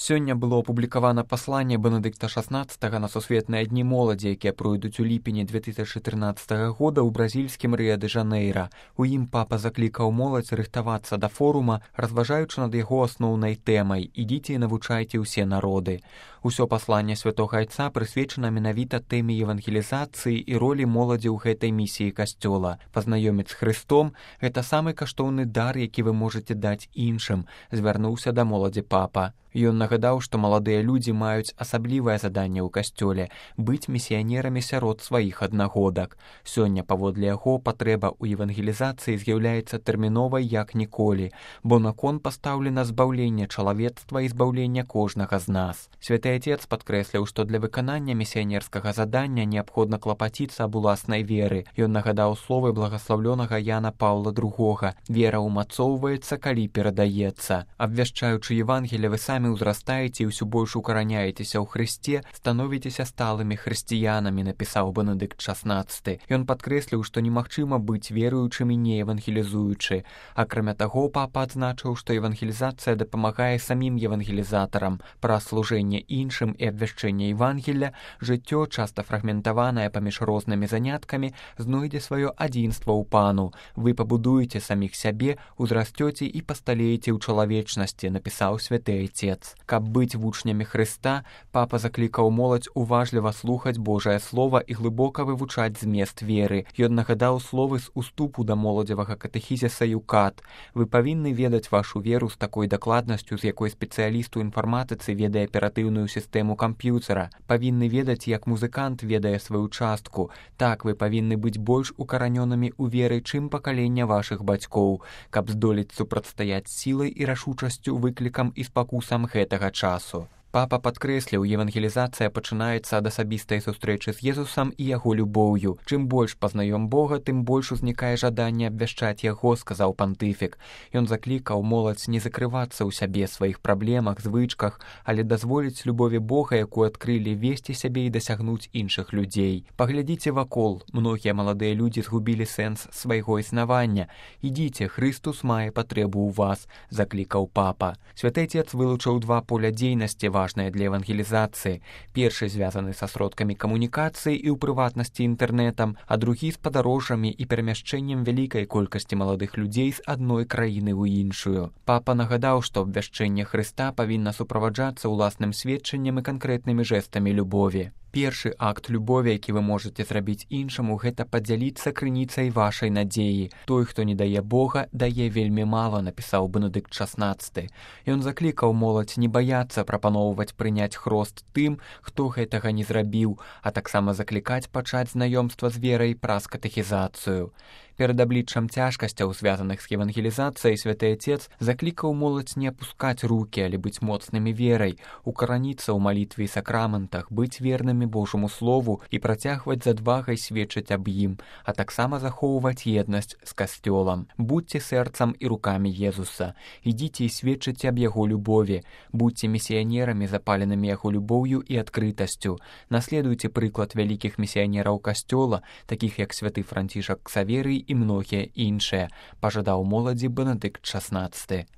Сёння было апублікавана пасланне Бенедыкта XVI на сусветныя дні моладзі, якія пройдуць у ліпені 2013 года ў бразільскім Рыа-дэ-Жанэйра. У ім папа заклікаў моладзь рыхтавацца да форума, разважаючы над яго асноўнай тэмай «Ідзіце і навучайце ўсе народы». Усё пасланне святога айца прысвечана менавіта тэме евангелізацыі і ролі моладзі ў гэтай місіі касцёла. Пазнаёміць з Хрыстом – гэта самы каштоўны дар, які вы можаце даць іншым, звярнуўся да моладзі папа. Ён нагадаў, што маладыя людзі маюць асаблівае заданне ў касцёле – быць місіянерамі сярод сваіх аднагодак. Сёння, паводле яго, патрэба ў евангелізацыі з'яўляецца тэрміновай як ніколі, бо на кон пастаўлена збаўленне чалавецтва і збаўленне кожнага з нас. Святы Отец падкрэсліў, што для выканання місіянерскага задання неабходна клапаціцца аб уласнай веры. Ён нагадаў словы благаслаўлёнага Яна Паўла II. «Вера ўмацоўваецца, калі перадаецца». Абвяшчаючы Евангелие, вы самі ўзрастаеце і ўсё больш укараняецеся ў Хрысце, становіцеся сталымі хрысціянамі, напісаў Бенедыкт XVI. Ён падкрэсліў, што немагчыма быць веруючым і не евангелізуючы. Акрамя таго, папа адзначыў, што евангелізацыя дапамагае самім евангелізатарам. Праз служэнне іншым і абвяшчэнне Евангелля жыццё, часта фрагментаванае паміж рознымі заняткамі, знойдзе сваё адзінства ў Пану. Вы пабудуеце саміх сябе, узрасцёце і пасталееце ў чалавечнасці, напісаў святы Отец. Каб быць вучнямі Хрыста, папа заклікаў моладзь уважліва слухаць Божае Слова і глыбока вывучаць змест веры. Ён нагадаў словы з уступу да моладзевага катэхізіса «Юкат». Вы павінны ведаць вашу веру з такой дакладнасцю, з якой спецыяліст у інфарматыцы ведае аператыўную сістэму камп'ютера. Павінны ведаць, як музыкант ведае сваю частку. Так, вы павінны быць больш укаранёнымі ў веры, чым пакаленне вашых бацькоў, каб здолець супрацьстаяць сілай і рашучасцю выклікам і спакусам гэтага часу. Папа падкрэсліў, евангелізацыя пачынаецца ад асабістай сустрэчы з Езусам і яго любоўю. Чым больш пазнаём Бога, тым больш узнікае жаданне абвяшчаць яго, сказаў пантыфік. Ён заклікаў моладзь не закрывацца ў сябе, сваіх праблемах, звычках, але дазволіць любові Бога, якую адкрылі, весці сябе і дасягнуць іншых людзей. Паглядзіце вакол, многія маладыя людзі згубілі сэнс свайго існавання. Ідзіце, Хрыстус мае патрэбу ў вас, заклікаў папа. Святы Отец вылучыў два поля дзейнасці важныя для евангелізацыі. Першы звязаны са сродкамі камунікацыі і ў прыватнасці інтэрнэтам, а другі з падарожжамі і перамяшчэннем вялікай колькасці маладых людзей з адной краіны ў іншую. Папа нагадаў, што абвяшчэнне Хрыста павінна суправаджацца ўласным сведчаннем і канкрэтнымі жэстамі любові. Першы акт любові, які вы можаце зрабіць іншаму, гэта падзяліцца крыніцай вашай надзеі. Той, хто не дае Бога, дае вельмі мала, напісаў Бенедыкт XVI. Ён заклікаў моладзь не баяцца прапаноўваць прыняць хрост тым, хто гэтага не зрабіў, а таксама заклікаць пачаць знаёмства з верай праз катэхізацыю. Перад абліччам цяжкасцяў, звязаных з евангелізацыяй, святы Отец заклікаў моладзь не апускаць рукі, але быць моцнымі верай, укараніцца ў малітве і сакраментах, быць вернымі Божаму Слову і працягваць з адвагай сведчыць аб ім, а таксама захоўваць еднасць з касцёлам. Будьце сэрцам і рукамі Езуса. Ідзіце і сведчыце аб яго любові. Будьце місіянерамі, запаленымі яго любоўю і адкрытасцю. Наследуйце прыклад вялікіх місіянераў касцёла, такіх як святы Францішак Ксаверый і многія іншыя, пажадаў моладзі Бенедыкт XVI.